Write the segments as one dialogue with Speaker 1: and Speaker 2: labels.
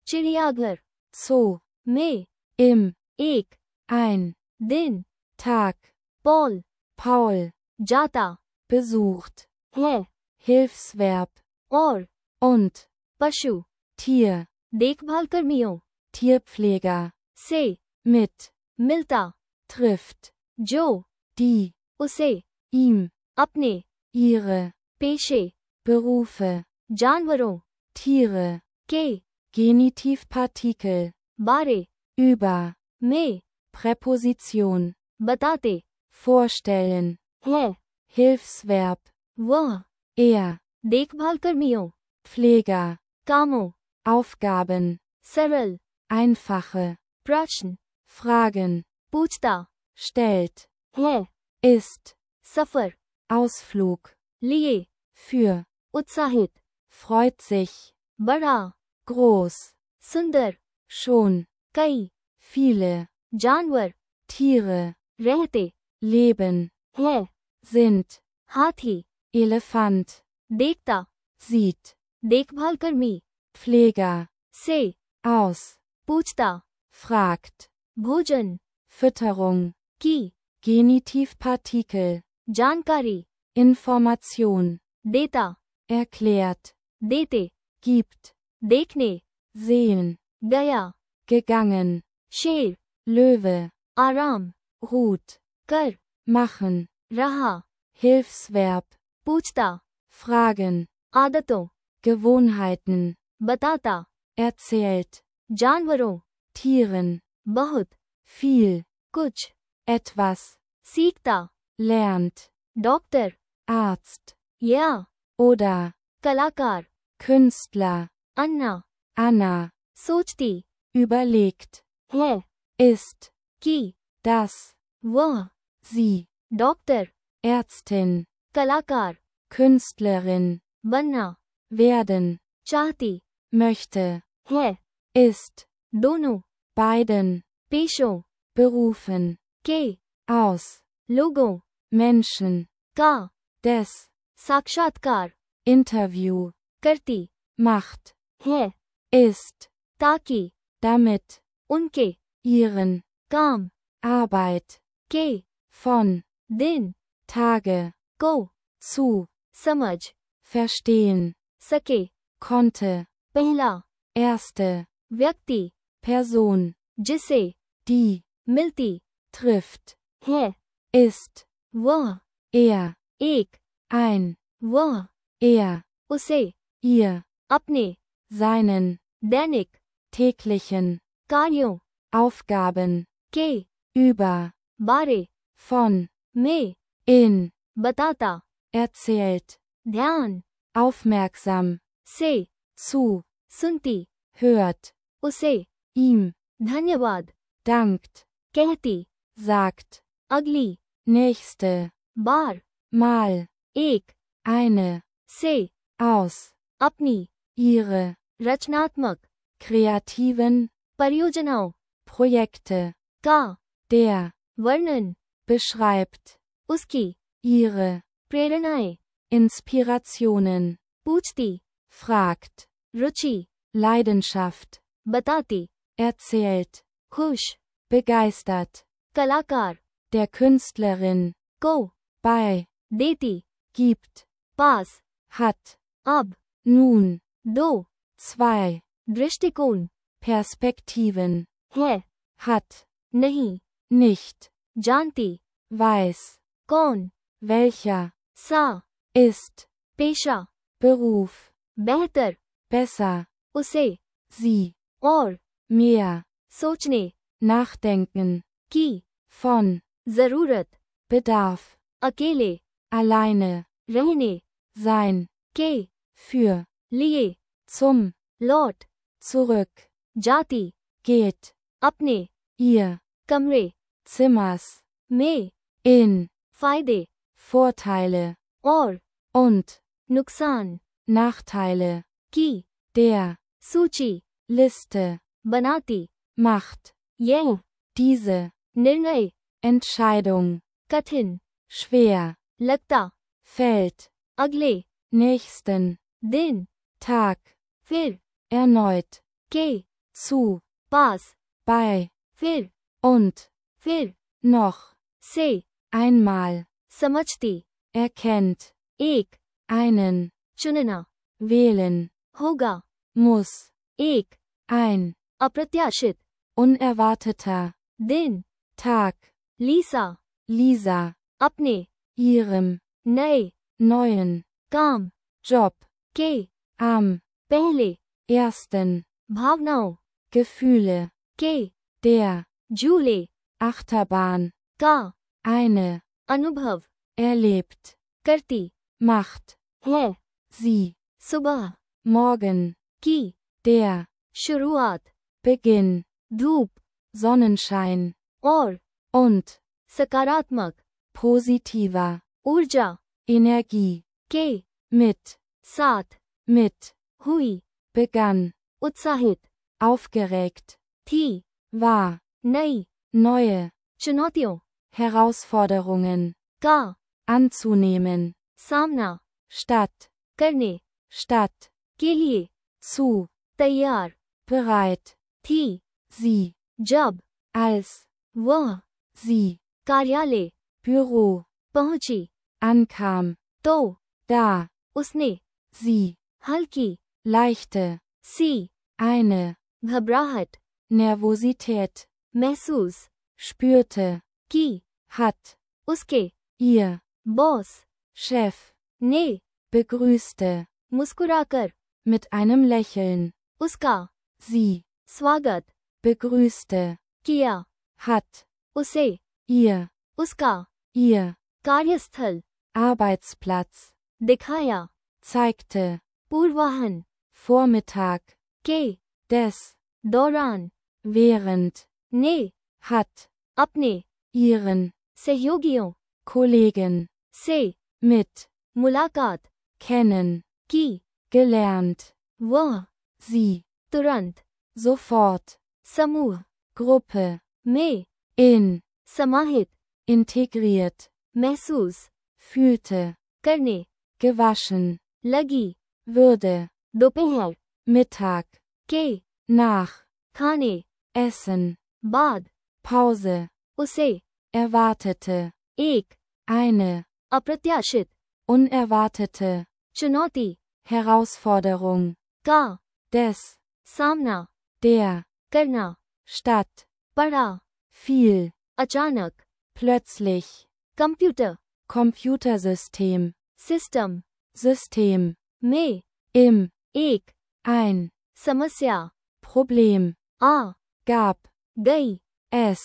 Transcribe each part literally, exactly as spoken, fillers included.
Speaker 1: चिड़ियाघर
Speaker 2: Zoo,
Speaker 1: में
Speaker 2: im,
Speaker 1: एक
Speaker 2: ein,
Speaker 1: दिन
Speaker 2: Tag,
Speaker 1: पॉल
Speaker 2: Paul,
Speaker 1: जाता
Speaker 2: besucht,
Speaker 1: है
Speaker 2: Hilfsverb,
Speaker 1: और
Speaker 2: und,
Speaker 1: पशु
Speaker 2: Tier,
Speaker 1: देखभाल कर्मियों
Speaker 2: Tierpfleger,
Speaker 1: से
Speaker 2: mit,
Speaker 1: मिलता
Speaker 2: trifft,
Speaker 1: जो
Speaker 2: die,
Speaker 1: उसे
Speaker 2: ihm,
Speaker 1: अपने
Speaker 2: ihre,
Speaker 1: पेशे
Speaker 2: Berufe,
Speaker 1: जानवरों
Speaker 2: Tiere,
Speaker 1: के
Speaker 2: Genitivpartikel,
Speaker 1: बारे
Speaker 2: über,
Speaker 1: में
Speaker 2: Präposition,
Speaker 1: बताते
Speaker 2: vorstellen,
Speaker 1: हैं
Speaker 2: Hilfsverb,
Speaker 1: वह
Speaker 2: er,
Speaker 1: देखभाल कर्मियों
Speaker 2: Pfleger,
Speaker 1: कामों
Speaker 2: Aufgaben,
Speaker 1: सरल
Speaker 2: einfache,
Speaker 1: प्रश्न
Speaker 2: Fragen,
Speaker 1: पूछता
Speaker 2: stellt,
Speaker 1: है
Speaker 2: ist,
Speaker 1: सफर
Speaker 2: Ausflug,
Speaker 1: लिए
Speaker 2: für,
Speaker 1: उत्साहित
Speaker 2: freut sich,
Speaker 1: बड़ा
Speaker 2: groß,
Speaker 1: सुंदर
Speaker 2: schon,
Speaker 1: कई
Speaker 2: viele,
Speaker 1: जानवर
Speaker 2: Tiere,
Speaker 1: रहते
Speaker 2: leben,
Speaker 1: हैं
Speaker 2: sind,
Speaker 1: हाथी
Speaker 2: Elefant,
Speaker 1: देखता
Speaker 2: sieht,
Speaker 1: देखभाल कर्मी
Speaker 2: Pfleger,
Speaker 1: से
Speaker 2: aus,
Speaker 1: पूछता
Speaker 2: fragt,
Speaker 1: भोजन
Speaker 2: Fütterung,
Speaker 1: की
Speaker 2: Genitivpartikel,
Speaker 1: जानकारी
Speaker 2: Information,
Speaker 1: देता
Speaker 2: erklärt,
Speaker 1: देते
Speaker 2: gibt,
Speaker 1: देखने
Speaker 2: sehen,
Speaker 1: गया
Speaker 2: gegangen,
Speaker 1: शेर
Speaker 2: Löwe,
Speaker 1: आराम
Speaker 2: ruht,
Speaker 1: कर
Speaker 2: machen,
Speaker 1: रहा
Speaker 2: Hilfsverb,
Speaker 1: पूछता
Speaker 2: fragen,
Speaker 1: आदतों
Speaker 2: Gewohnheiten,
Speaker 1: बताता
Speaker 2: erzählt,
Speaker 1: जानवरों
Speaker 2: Tieren,
Speaker 1: बहुत
Speaker 2: viel,
Speaker 1: कुछ
Speaker 2: etwas,
Speaker 1: सीखता
Speaker 2: lernt,
Speaker 1: डॉक्टर
Speaker 2: Arzt,
Speaker 1: या
Speaker 2: oder,
Speaker 1: कलाकार
Speaker 2: Künstler,
Speaker 1: अन्ना
Speaker 2: Anna,
Speaker 1: सोचती
Speaker 2: überlegt,
Speaker 1: है
Speaker 2: ist,
Speaker 1: कि
Speaker 2: das,
Speaker 1: वह
Speaker 2: sie,
Speaker 1: डॉक्टर
Speaker 2: Ärztin,
Speaker 1: कलाकार
Speaker 2: Künstlerin,
Speaker 1: बनना
Speaker 2: werden,
Speaker 1: चाहती
Speaker 2: möchte,
Speaker 1: है
Speaker 2: ist,
Speaker 1: दोनों
Speaker 2: beiden,
Speaker 1: पेशों
Speaker 2: berufen,
Speaker 1: के
Speaker 2: aus,
Speaker 1: लोगों
Speaker 2: Menschen,
Speaker 1: का
Speaker 2: des,
Speaker 1: साक्षात्कार
Speaker 2: Interview,
Speaker 1: करती
Speaker 2: macht,
Speaker 1: है
Speaker 2: ist,
Speaker 1: ताकि
Speaker 2: damit,
Speaker 1: उनके
Speaker 2: ihren,
Speaker 1: काम
Speaker 2: Arbeit,
Speaker 1: के
Speaker 2: von,
Speaker 1: दिन
Speaker 2: Tage,
Speaker 1: को
Speaker 2: zu,
Speaker 1: समझ
Speaker 2: verstehen,
Speaker 1: सके
Speaker 2: konnte,
Speaker 1: पहला
Speaker 2: erste,
Speaker 1: व्यक्ति
Speaker 2: Person,
Speaker 1: जिसे
Speaker 2: die,
Speaker 1: मिलती
Speaker 2: trifft,
Speaker 1: है
Speaker 2: ist,
Speaker 1: वह
Speaker 2: er,
Speaker 1: एक
Speaker 2: ein,
Speaker 1: वह
Speaker 2: er,
Speaker 1: उसे
Speaker 2: ihr,
Speaker 1: अपने
Speaker 2: seinen,
Speaker 1: दैनिक
Speaker 2: täglichen,
Speaker 1: कार्यों
Speaker 2: Aufgaben,
Speaker 1: के
Speaker 2: über,
Speaker 1: बारे
Speaker 2: von,
Speaker 1: में
Speaker 2: in,
Speaker 1: बताता
Speaker 2: erzählt,
Speaker 1: ध्यान
Speaker 2: aufmerksam,
Speaker 1: से
Speaker 2: zu,
Speaker 1: सुनती
Speaker 2: hört,
Speaker 1: उसे
Speaker 2: ihm,
Speaker 1: धन्यवाद
Speaker 2: dankt,
Speaker 1: कहती
Speaker 2: sagt,
Speaker 1: अगली
Speaker 2: nächste,
Speaker 1: बार
Speaker 2: mal,
Speaker 1: एक
Speaker 2: eine,
Speaker 1: से
Speaker 2: aus,
Speaker 1: अपनी
Speaker 2: ihre,
Speaker 1: रचनात्मक
Speaker 2: kreativen,
Speaker 1: परियोजनाओं
Speaker 2: Projekte,
Speaker 1: का
Speaker 2: der,
Speaker 1: वर्णन
Speaker 2: beschreibt,
Speaker 1: उसकी
Speaker 2: ihre,
Speaker 1: प्रेरणाएं
Speaker 2: Inspirationen,
Speaker 1: पूछती
Speaker 2: fragt,
Speaker 1: रुचि
Speaker 2: Leidenschaft,
Speaker 1: बताती
Speaker 2: erzählt,
Speaker 1: खुश
Speaker 2: begeistert,
Speaker 1: कलाकार
Speaker 2: der Künstlerin,
Speaker 1: को
Speaker 2: bei,
Speaker 1: देती
Speaker 2: gibt,
Speaker 1: पास
Speaker 2: hat,
Speaker 1: अब
Speaker 2: nun,
Speaker 1: दो
Speaker 2: zwei,
Speaker 1: दृष्टिकोण
Speaker 2: Perspektiven,
Speaker 1: है
Speaker 2: hat,
Speaker 1: नहीं
Speaker 2: nicht,
Speaker 1: जानती
Speaker 2: weiß,
Speaker 1: कौन
Speaker 2: welcher,
Speaker 1: सा
Speaker 2: ist,
Speaker 1: पेशा
Speaker 2: Beruf,
Speaker 1: बेहतर
Speaker 2: besser,
Speaker 1: उसे
Speaker 2: sie,
Speaker 1: और
Speaker 2: mehr,
Speaker 1: सोचने
Speaker 2: nachdenken,
Speaker 1: की
Speaker 2: von,
Speaker 1: जरूरत
Speaker 2: Bedarf,
Speaker 1: अकेले
Speaker 2: alleine,
Speaker 1: रहने
Speaker 2: sein,
Speaker 1: के
Speaker 2: für,
Speaker 1: लिए
Speaker 2: zum,
Speaker 1: लौट
Speaker 2: zurück,
Speaker 1: जाती
Speaker 2: geht,
Speaker 1: अपने
Speaker 2: ihr,
Speaker 1: कमरे
Speaker 2: Zimmers,
Speaker 1: में
Speaker 2: in,
Speaker 1: फायदे
Speaker 2: Vorteile,
Speaker 1: और
Speaker 2: und,
Speaker 1: नुकसान
Speaker 2: Nachteile,
Speaker 1: की
Speaker 2: der,
Speaker 1: सूची
Speaker 2: Liste,
Speaker 1: बनाती
Speaker 2: macht,
Speaker 1: यह
Speaker 2: diese,
Speaker 1: निर्णय
Speaker 2: Entscheidung,
Speaker 1: कठिन
Speaker 2: schwer,
Speaker 1: लगता
Speaker 2: fällt,
Speaker 1: अगले
Speaker 2: nächsten,
Speaker 1: दिन
Speaker 2: Tag,
Speaker 1: फिर
Speaker 2: erneut,
Speaker 1: के
Speaker 2: zu,
Speaker 1: पास,
Speaker 2: bei,
Speaker 1: फिर,
Speaker 2: und,
Speaker 1: फिर,
Speaker 2: noch,
Speaker 1: से,
Speaker 2: einmal,
Speaker 1: समझती,
Speaker 2: erkennt,
Speaker 1: एक,
Speaker 2: einen,
Speaker 1: चुनना,
Speaker 2: wählen,
Speaker 1: होगा,
Speaker 2: muss,
Speaker 1: एक,
Speaker 2: ein,
Speaker 1: अप्रत्याशित,
Speaker 2: unerwarteter,
Speaker 1: दिन,
Speaker 2: Tag,
Speaker 1: लीसा,
Speaker 2: Lisa,
Speaker 1: अपने,
Speaker 2: ihrem,
Speaker 1: नए,
Speaker 2: neuen,
Speaker 1: काम,
Speaker 2: Job,
Speaker 1: के,
Speaker 2: am,
Speaker 1: पहले,
Speaker 2: ersten,
Speaker 1: भावनाओं,
Speaker 2: Gefühle,
Speaker 1: के,
Speaker 2: der,
Speaker 1: झूले,
Speaker 2: Achterbahn,
Speaker 1: का,
Speaker 2: eine,
Speaker 1: अनुभव,
Speaker 2: erlebt,
Speaker 1: करती,
Speaker 2: macht,
Speaker 1: है,
Speaker 2: sie,
Speaker 1: सुबह,
Speaker 2: morgen,
Speaker 1: की,
Speaker 2: der,
Speaker 1: शुरुआत,
Speaker 2: Beginn,
Speaker 1: धूप,
Speaker 2: Sonnenschein,
Speaker 1: और,
Speaker 2: und,
Speaker 1: सकारात्मक,
Speaker 2: positiver,
Speaker 1: ऊर्जा,
Speaker 2: Energie,
Speaker 1: के,
Speaker 2: mit,
Speaker 1: साथ,
Speaker 2: mit,
Speaker 1: हुई,
Speaker 2: begann,
Speaker 1: उत्साहित,
Speaker 2: aufgeregt,
Speaker 1: थी,
Speaker 2: war,
Speaker 1: नई,
Speaker 2: neue,
Speaker 1: चुनौतियों,
Speaker 2: Herausforderungen,
Speaker 1: का,
Speaker 2: anzunehmen,
Speaker 1: सामना,
Speaker 2: statt,
Speaker 1: करने,
Speaker 2: statt,
Speaker 1: के लिए,
Speaker 2: zu,
Speaker 1: तैयार,
Speaker 2: bereit,
Speaker 1: थी,
Speaker 2: sie,
Speaker 1: जब,
Speaker 2: als,
Speaker 1: वह,
Speaker 2: sie,
Speaker 1: कार्यालय,
Speaker 2: Büro,
Speaker 1: पहुंची,
Speaker 2: ankam,
Speaker 1: तो,
Speaker 2: da,
Speaker 1: उसने,
Speaker 2: sie,
Speaker 1: हल्की,
Speaker 2: leichte,
Speaker 1: सी,
Speaker 2: eine,
Speaker 1: घबराहट,
Speaker 2: Nervosität,
Speaker 1: महसूस,
Speaker 2: spürte,
Speaker 1: की,
Speaker 2: hat,
Speaker 1: उसके,
Speaker 2: ihr,
Speaker 1: बॉस,
Speaker 2: Chef,
Speaker 1: ने,
Speaker 2: begrüßte,
Speaker 1: मुस्कुराकर,
Speaker 2: mit einem Lächeln,
Speaker 1: उसका,
Speaker 2: sie,
Speaker 1: स्वागत,
Speaker 2: begrüßte,
Speaker 1: किया,
Speaker 2: hat,
Speaker 1: उसे,
Speaker 2: ihr,
Speaker 1: उसका,
Speaker 2: ihr,
Speaker 1: कार्यस्थल,
Speaker 2: Arbeitsplatz,
Speaker 1: दिखाया,
Speaker 2: zeigte,
Speaker 1: पूर्वाहन,
Speaker 2: Vormittag,
Speaker 1: के,
Speaker 2: des,
Speaker 1: दौरान,
Speaker 2: während,
Speaker 1: ने,
Speaker 2: hat,
Speaker 1: अपने,
Speaker 2: ihren,
Speaker 1: सहयोगियों,
Speaker 2: Kollegen,
Speaker 1: से,
Speaker 2: mit,
Speaker 1: मुलाकात,
Speaker 2: kennen,
Speaker 1: की,
Speaker 2: gelernt,
Speaker 1: वह,
Speaker 2: sie,
Speaker 1: तुरंत,
Speaker 2: sofort,
Speaker 1: समूह,
Speaker 2: Gruppe,
Speaker 1: में,
Speaker 2: in,
Speaker 1: समाहित,
Speaker 2: integriert,
Speaker 1: महसूस,
Speaker 2: fühlte,
Speaker 1: करने,
Speaker 2: gewaschen,
Speaker 1: लगी,
Speaker 2: würde,
Speaker 1: दोपहर,
Speaker 2: Mittag,
Speaker 1: के,
Speaker 2: nach,
Speaker 1: खाने,
Speaker 2: essen,
Speaker 1: बाद,
Speaker 2: Pause,
Speaker 1: उसे,
Speaker 2: erwartete,
Speaker 1: एक,
Speaker 2: eine,
Speaker 1: अप्रत्याशित,
Speaker 2: unerwartete,
Speaker 1: चुनौती,
Speaker 2: Herausforderung,
Speaker 1: का,
Speaker 2: des,
Speaker 1: सामना,
Speaker 2: der,
Speaker 1: करना,
Speaker 2: statt,
Speaker 1: पढ़ा,
Speaker 2: viel,
Speaker 1: अचानक,
Speaker 2: plötzlich,
Speaker 1: computer,
Speaker 2: Computersystem,
Speaker 1: system,
Speaker 2: System,
Speaker 1: में,
Speaker 2: im,
Speaker 1: एक,
Speaker 2: ein,
Speaker 1: समस्या,
Speaker 2: Problem,
Speaker 1: आ,
Speaker 2: gab,
Speaker 1: गई,
Speaker 2: es,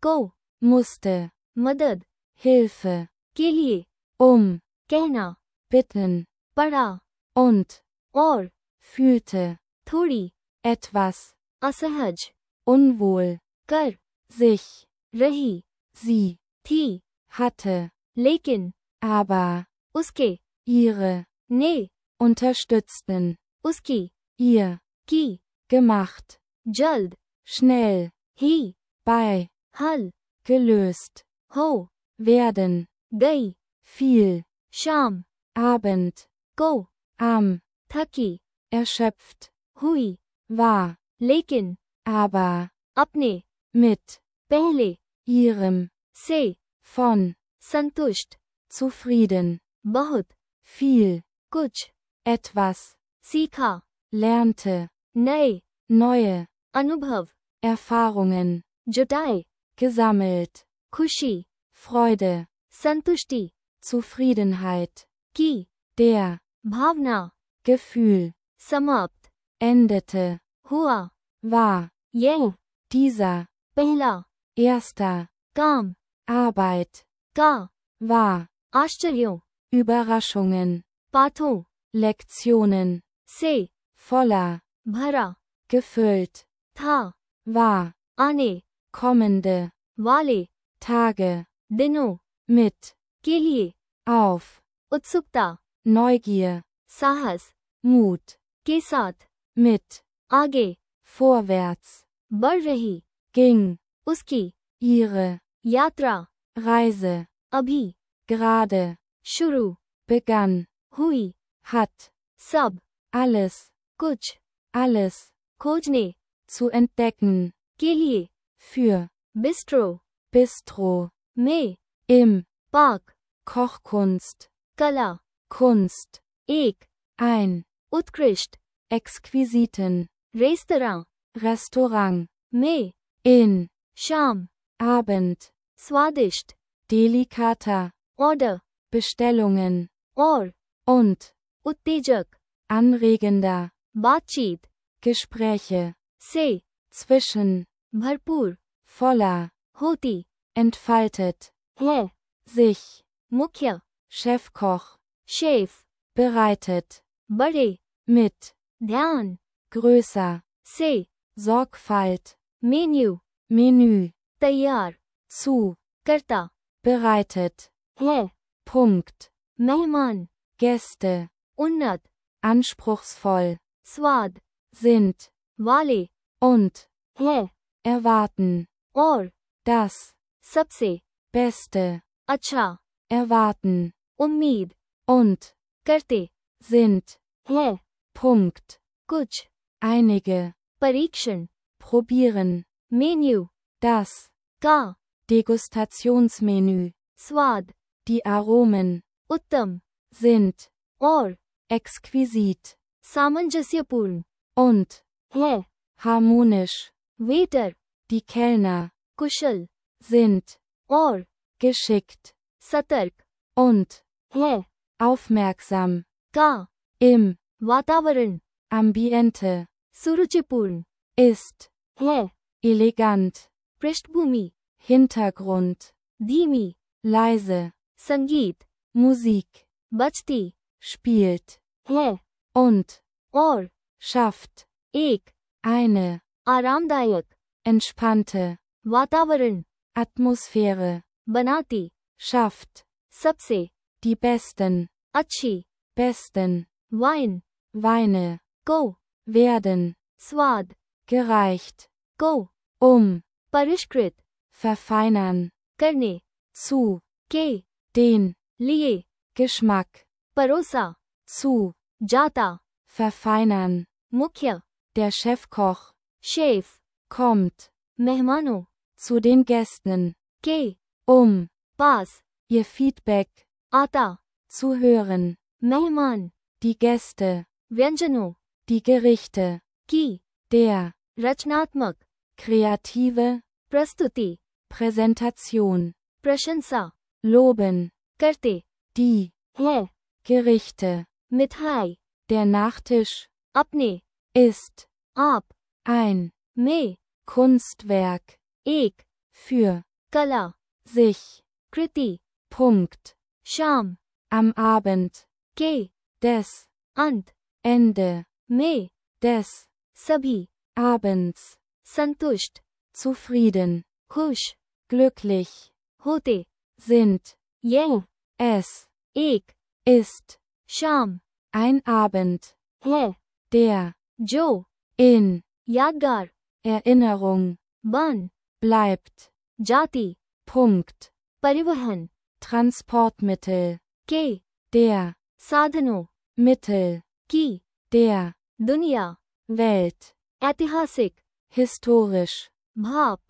Speaker 1: को,
Speaker 2: musste,
Speaker 1: मदद,
Speaker 2: Hilfe,
Speaker 1: के लिए,
Speaker 2: um,
Speaker 1: कहना,
Speaker 2: bitten,
Speaker 1: पढ़ा,
Speaker 2: und,
Speaker 1: और,
Speaker 2: fühlte,
Speaker 1: थोड़ी,
Speaker 2: etwas,
Speaker 1: असहज,
Speaker 2: unwohl,
Speaker 1: कर,
Speaker 2: sich,
Speaker 1: रही,
Speaker 2: sie,
Speaker 1: थी,
Speaker 2: hatte,
Speaker 1: लेकिन,
Speaker 2: aber,
Speaker 1: उसके,
Speaker 2: ihre,
Speaker 1: ने,
Speaker 2: unterstützten,
Speaker 1: उसकी,
Speaker 2: ihr,
Speaker 1: की,
Speaker 2: gemacht,
Speaker 1: जल्द,
Speaker 2: schnell,
Speaker 1: ही,
Speaker 2: bei,
Speaker 1: हल,
Speaker 2: gelöst,
Speaker 1: हो,
Speaker 2: werden,
Speaker 1: गई,
Speaker 2: viel,
Speaker 1: शाम,
Speaker 2: Abend,
Speaker 1: को,
Speaker 2: am,
Speaker 1: थकी,
Speaker 2: erschöpft,
Speaker 1: हुई,
Speaker 2: war,
Speaker 1: लेकिन,
Speaker 2: aber,
Speaker 1: अपने,
Speaker 2: mit,
Speaker 1: पहले,
Speaker 2: ihrem,
Speaker 1: से,
Speaker 2: von,
Speaker 1: संतुष्ट,
Speaker 2: zufrieden,
Speaker 1: बहुत,
Speaker 2: viel,
Speaker 1: कुछ,
Speaker 2: etwas,
Speaker 1: सीखा,
Speaker 2: lernte,
Speaker 1: नए,
Speaker 2: neue,
Speaker 1: अनुभव,
Speaker 2: Erfahrungen,
Speaker 1: जुटाए,
Speaker 2: gesammelt,
Speaker 1: खुशी,
Speaker 2: Freude,
Speaker 1: संतुष्टि,
Speaker 2: Zufriedenheit,
Speaker 1: की,
Speaker 2: der,
Speaker 1: भावना,
Speaker 2: Gefühl,
Speaker 1: समाप्त,
Speaker 2: endete,
Speaker 1: हुआ,
Speaker 2: war,
Speaker 1: यह,
Speaker 2: dieser,
Speaker 1: पहला,
Speaker 2: erster,
Speaker 1: काम,
Speaker 2: Arbeit,
Speaker 1: का,
Speaker 2: war,
Speaker 1: आश्चर्यों,
Speaker 2: Überraschungen,
Speaker 1: पाठों,
Speaker 2: Lektionen,
Speaker 1: से,
Speaker 2: voller,
Speaker 1: भरा,
Speaker 2: gefüllt,
Speaker 1: था,
Speaker 2: war,
Speaker 1: आने,
Speaker 2: kommende,
Speaker 1: वाले,
Speaker 2: Tage,
Speaker 1: दिनों,
Speaker 2: mit,
Speaker 1: के लिए,
Speaker 2: auf,
Speaker 1: उत्सुकता,
Speaker 2: Neugier,
Speaker 1: साहस,
Speaker 2: Mut,
Speaker 1: के साथ,
Speaker 2: mit,
Speaker 1: आगे,
Speaker 2: vorwärts,
Speaker 1: बढ़ रही,
Speaker 2: ging,
Speaker 1: उसकी,
Speaker 2: ihre,
Speaker 1: यात्रा,
Speaker 2: Reise,
Speaker 1: अभी,
Speaker 2: gerade,
Speaker 1: शुरू,
Speaker 2: begann,
Speaker 1: हुई,
Speaker 2: hat,
Speaker 1: सब,
Speaker 2: alles,
Speaker 1: कुछ,
Speaker 2: alles,
Speaker 1: खोजने,
Speaker 2: Zu entdecken.
Speaker 1: के लिए,
Speaker 2: Für.
Speaker 1: Bistro,
Speaker 2: Bistro.
Speaker 1: में,
Speaker 2: Im.
Speaker 1: पाक,
Speaker 2: Kochkunst.
Speaker 1: कला,
Speaker 2: Kunst.
Speaker 1: एक,
Speaker 2: Ein.
Speaker 1: उत्कृष्ट,
Speaker 2: Exquisiten.
Speaker 1: Restaurant,
Speaker 2: Restaurant.
Speaker 1: में,
Speaker 2: In.
Speaker 1: शाम,
Speaker 2: Abend.
Speaker 1: स्वादिष्ट,
Speaker 2: Delicata.
Speaker 1: Order,
Speaker 2: Bestellungen.
Speaker 1: और,
Speaker 2: Und.
Speaker 1: उत्तेजक,
Speaker 2: Anregender.
Speaker 1: बातचीत,
Speaker 2: Gespräche.
Speaker 1: से,
Speaker 2: Zwischen.
Speaker 1: भरपूर,
Speaker 2: Voller.
Speaker 1: होती,
Speaker 2: Entfaltet.
Speaker 1: है,
Speaker 2: Sich.
Speaker 1: मुख्य,
Speaker 2: Chefkoch.
Speaker 1: Chef,
Speaker 2: Bereitet.
Speaker 1: बड़े,
Speaker 2: Mit.
Speaker 1: ध्यान,
Speaker 2: Größer.
Speaker 1: से,
Speaker 2: Sorgfalt.
Speaker 1: Menu,
Speaker 2: Menü.
Speaker 1: तैयार,
Speaker 2: Zu.
Speaker 1: करता,
Speaker 2: Bereitet.
Speaker 1: है,
Speaker 2: Punkt.
Speaker 1: मेहमान,
Speaker 2: Gäste.
Speaker 1: उन्नत,
Speaker 2: Anspruchsvoll.
Speaker 1: स्वाद,
Speaker 2: Sind.
Speaker 1: वाले,
Speaker 2: Und.
Speaker 1: है,
Speaker 2: Erwarten.
Speaker 1: और,
Speaker 2: Das.
Speaker 1: सबसे,
Speaker 2: Beste.
Speaker 1: अच्छा,
Speaker 2: Erwarten.
Speaker 1: उम्मीद,
Speaker 2: Und.
Speaker 1: करते,
Speaker 2: Sind.
Speaker 1: है,
Speaker 2: Punkt.
Speaker 1: कुछ,
Speaker 2: Einige.
Speaker 1: परीक्षण,
Speaker 2: Probieren.
Speaker 1: Menu,
Speaker 2: Das.
Speaker 1: का,
Speaker 2: Degustationsmenü.
Speaker 1: स्वाद,
Speaker 2: Die Aromen.
Speaker 1: उत्तम,
Speaker 2: Sind.
Speaker 1: और,
Speaker 2: Exquisit.
Speaker 1: सामंजस्यपूर्ण,
Speaker 2: Und.
Speaker 1: है,
Speaker 2: Harmonisch.
Speaker 1: Waiter,
Speaker 2: Die Kellner.
Speaker 1: कुशल,
Speaker 2: Sind.
Speaker 1: और,
Speaker 2: Geschickt.
Speaker 1: सतर्क,
Speaker 2: Und.
Speaker 1: है,
Speaker 2: Aufmerksam.
Speaker 1: का,
Speaker 2: Im.
Speaker 1: वातावरण,
Speaker 2: Ambiente.
Speaker 1: सुरुचिपूर्ण,
Speaker 2: Ist.
Speaker 1: है,
Speaker 2: Elegant.
Speaker 1: पृष्ठभूमि,
Speaker 2: Hintergrund.
Speaker 1: धीमी,
Speaker 2: Leise.
Speaker 1: संगीत,
Speaker 2: Musik.
Speaker 1: बजती,
Speaker 2: Spielt.
Speaker 1: है,
Speaker 2: Und.
Speaker 1: और,
Speaker 2: Schafft.
Speaker 1: एक,
Speaker 2: Eine.
Speaker 1: आरामदायक,
Speaker 2: Entspannte.
Speaker 1: वातावरण,
Speaker 2: Atmosphäre.
Speaker 1: बनाती,
Speaker 2: Schafft.
Speaker 1: सबसे,
Speaker 2: Die besten.
Speaker 1: अच्छी,
Speaker 2: Besten.
Speaker 1: Wine,
Speaker 2: Weine.
Speaker 1: को,
Speaker 2: Werden.
Speaker 1: स्वाद,
Speaker 2: Gereicht.
Speaker 1: को,
Speaker 2: Um.
Speaker 1: परिष्कृत,
Speaker 2: Verfeinern.
Speaker 1: करने,
Speaker 2: Zu.
Speaker 1: के,
Speaker 2: Den.
Speaker 1: लिए,
Speaker 2: Geschmack.
Speaker 1: परोसा,
Speaker 2: Zu.
Speaker 1: जाता,
Speaker 2: Verfeinern.
Speaker 1: मुख्य,
Speaker 2: Der Chefkoch.
Speaker 1: Chef,
Speaker 2: Kommt.
Speaker 1: मेहमानों,
Speaker 2: Zu den Gästen.
Speaker 1: के,
Speaker 2: Um.
Speaker 1: पास,
Speaker 2: Ihr Feedback.
Speaker 1: आता,
Speaker 2: Zu hören.
Speaker 1: मेहमान,
Speaker 2: Die Gäste.
Speaker 1: व्यंजनों,
Speaker 2: Die Gerichte.
Speaker 1: की,
Speaker 2: Der.
Speaker 1: रचनात्मक,
Speaker 2: Kreative.
Speaker 1: प्रस्तुति,
Speaker 2: Präsentation.
Speaker 1: प्रशंसा,
Speaker 2: Loben.
Speaker 1: करते,
Speaker 2: Die.
Speaker 1: है,
Speaker 2: Gerichte.
Speaker 1: मिठाई,
Speaker 2: Der Nachtisch.
Speaker 1: अपने,
Speaker 2: Ist.
Speaker 1: आप,
Speaker 2: Ein.
Speaker 1: में,
Speaker 2: Kunstwerk.
Speaker 1: एक,
Speaker 2: Für.
Speaker 1: कला,
Speaker 2: Sich.
Speaker 1: कृति,
Speaker 2: Punkt.
Speaker 1: शाम,
Speaker 2: Am Abend.
Speaker 1: के,
Speaker 2: Des.
Speaker 1: अंत,
Speaker 2: Ende.
Speaker 1: में,
Speaker 2: Des.
Speaker 1: सभी,
Speaker 2: Abends.
Speaker 1: संतुष्ट,
Speaker 2: Zufrieden.
Speaker 1: खुश,
Speaker 2: Glücklich.
Speaker 1: होते,
Speaker 2: Sind.
Speaker 1: यह,
Speaker 2: Es.
Speaker 1: एक,
Speaker 2: Ist.
Speaker 1: शाम,
Speaker 2: Ein Abend.
Speaker 1: है,
Speaker 2: Der.
Speaker 1: जो,
Speaker 2: In.
Speaker 1: यादगार,
Speaker 2: Erinnerung.
Speaker 1: बन,
Speaker 2: Bleibt.
Speaker 1: जाति,
Speaker 2: Punkt.
Speaker 1: परिवहन,
Speaker 2: Transportmittel.
Speaker 1: के,
Speaker 2: Der.
Speaker 1: साधनों,
Speaker 2: Mittel.
Speaker 1: की,
Speaker 2: Der.
Speaker 1: दुनिया,
Speaker 2: Welt.
Speaker 1: ऐतिहासिक,
Speaker 2: Historisch.
Speaker 1: भाप,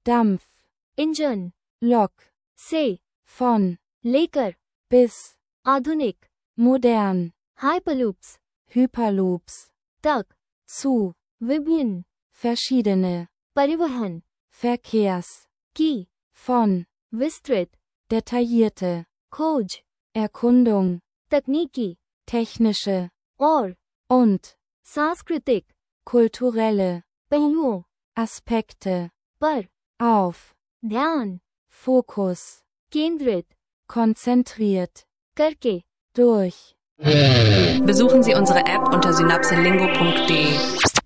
Speaker 2: Dampf.
Speaker 1: Engine,
Speaker 2: Lok.
Speaker 1: से,
Speaker 2: Von.
Speaker 1: लेकर,
Speaker 2: Bis.
Speaker 1: आधुनिक,
Speaker 2: Modern.
Speaker 1: हाइपरलूप्स,
Speaker 2: Hyperloops.
Speaker 1: तक,
Speaker 2: Zu.
Speaker 1: विभिन्न,
Speaker 2: Verschiedene.
Speaker 1: परिवहन,
Speaker 2: Verkehrs.
Speaker 1: की,
Speaker 2: Von.
Speaker 1: विस्तृत,
Speaker 2: Detaillierte.
Speaker 1: खोज,
Speaker 2: Erkundung.
Speaker 1: तकनीकी,
Speaker 2: Technische.
Speaker 1: और,
Speaker 2: Und.
Speaker 1: सांस्कृतिक,
Speaker 2: Kulturelle.
Speaker 1: पहलुओं,
Speaker 2: Aspekte.
Speaker 1: पर,
Speaker 2: Auf.
Speaker 1: ध्यान,
Speaker 2: Fokus.
Speaker 1: केंद्रित,
Speaker 2: Konzentriert.
Speaker 1: करके,
Speaker 2: Durch.
Speaker 3: Besuchen Sie unsere App unter synapselingo punkt de.